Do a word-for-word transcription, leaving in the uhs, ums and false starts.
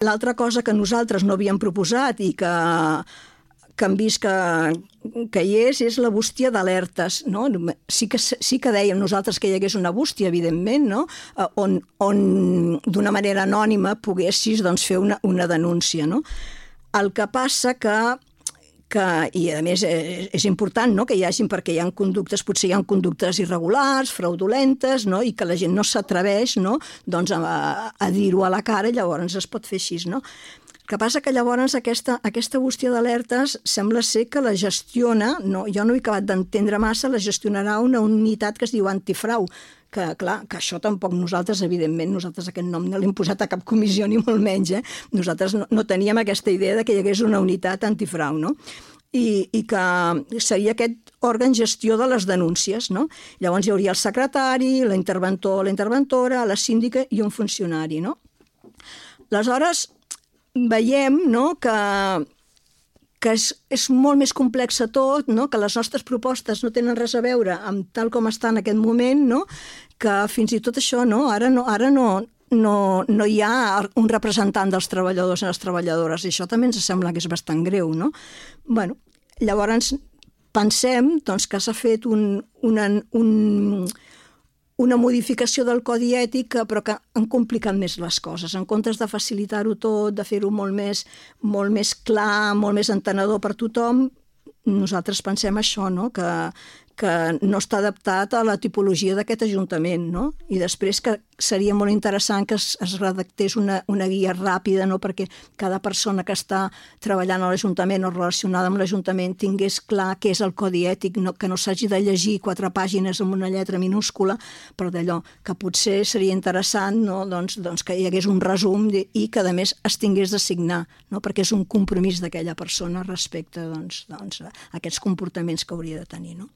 L'altra cosa que nosaltres no havíem proposat i que, que hem vist que, que hi és, és la bústia d'alertes. No? Sí, que, sí que dèiem nosaltres que hi hagués una bústia, evidentment, no? on, on d'una manera anònima poguessis doncs, fer una, una denúncia. No? El que passa que que, i a més és important, no?, que hi hagin, perquè hi ha conductes, potser hi ha conductes irregulars, fraudulentes, no?, i que la gent no s'atreveix, no?, doncs a, a dir-ho a la cara, i llavors es pot fer així, no? El que passa que llavors aquesta, aquesta bústia d'alertes sembla ser que la gestiona, no, jo no he acabat d'entendre massa, la gestionarà una unitat que es diu antifrau, que clar, que això tampoc nosaltres, evidentment, nosaltres aquest nom no l'hem posat a cap comissió ni molt menys, eh? Nosaltres no, no teníem aquesta idea de que hi hagués una unitat antifrau, no? I, i que seria aquest òrgan gestió de les denúncies, no? Llavors hi hauria el secretari, l'interventor, la interventora, la síndica i un funcionari, no? Aleshores, veiem, no?, que que és, és molt més complex tot, no? Que les nostres propostes no tenen res a veure amb tal com està en aquest moment, no? Que fins i tot això, no? Ara no, ara no, no, no hi ha un representant dels treballadors i les treballadores, i això també ens sembla que és bastant greu, no? Bueno, llavors pensem doncs, que s'ha fet un, una, un, una modificació del codi ètic, però que han complicat més les coses. En comptes de facilitar-ho tot, de fer-ho molt més, molt més clar, molt més entenedor per tothom, nosaltres pensem això, no?, que, que no està adaptat a la tipologia d'aquest Ajuntament, no? I després que seria molt interessant que es, es redactés una, una guia ràpida, no?, perquè cada persona que està treballant a l'Ajuntament o relacionada amb l'Ajuntament tingués clar què és el codi ètic, no, que no s'hagi de llegir quatre pàgines amb una lletra minúscula, però d'allò que potser seria interessant, no?, doncs, doncs que hi hagués un resum i que a més es tingués de signar, no?, perquè és un compromís d'aquella persona respecte doncs, doncs, a aquests comportaments que hauria de tenir, no?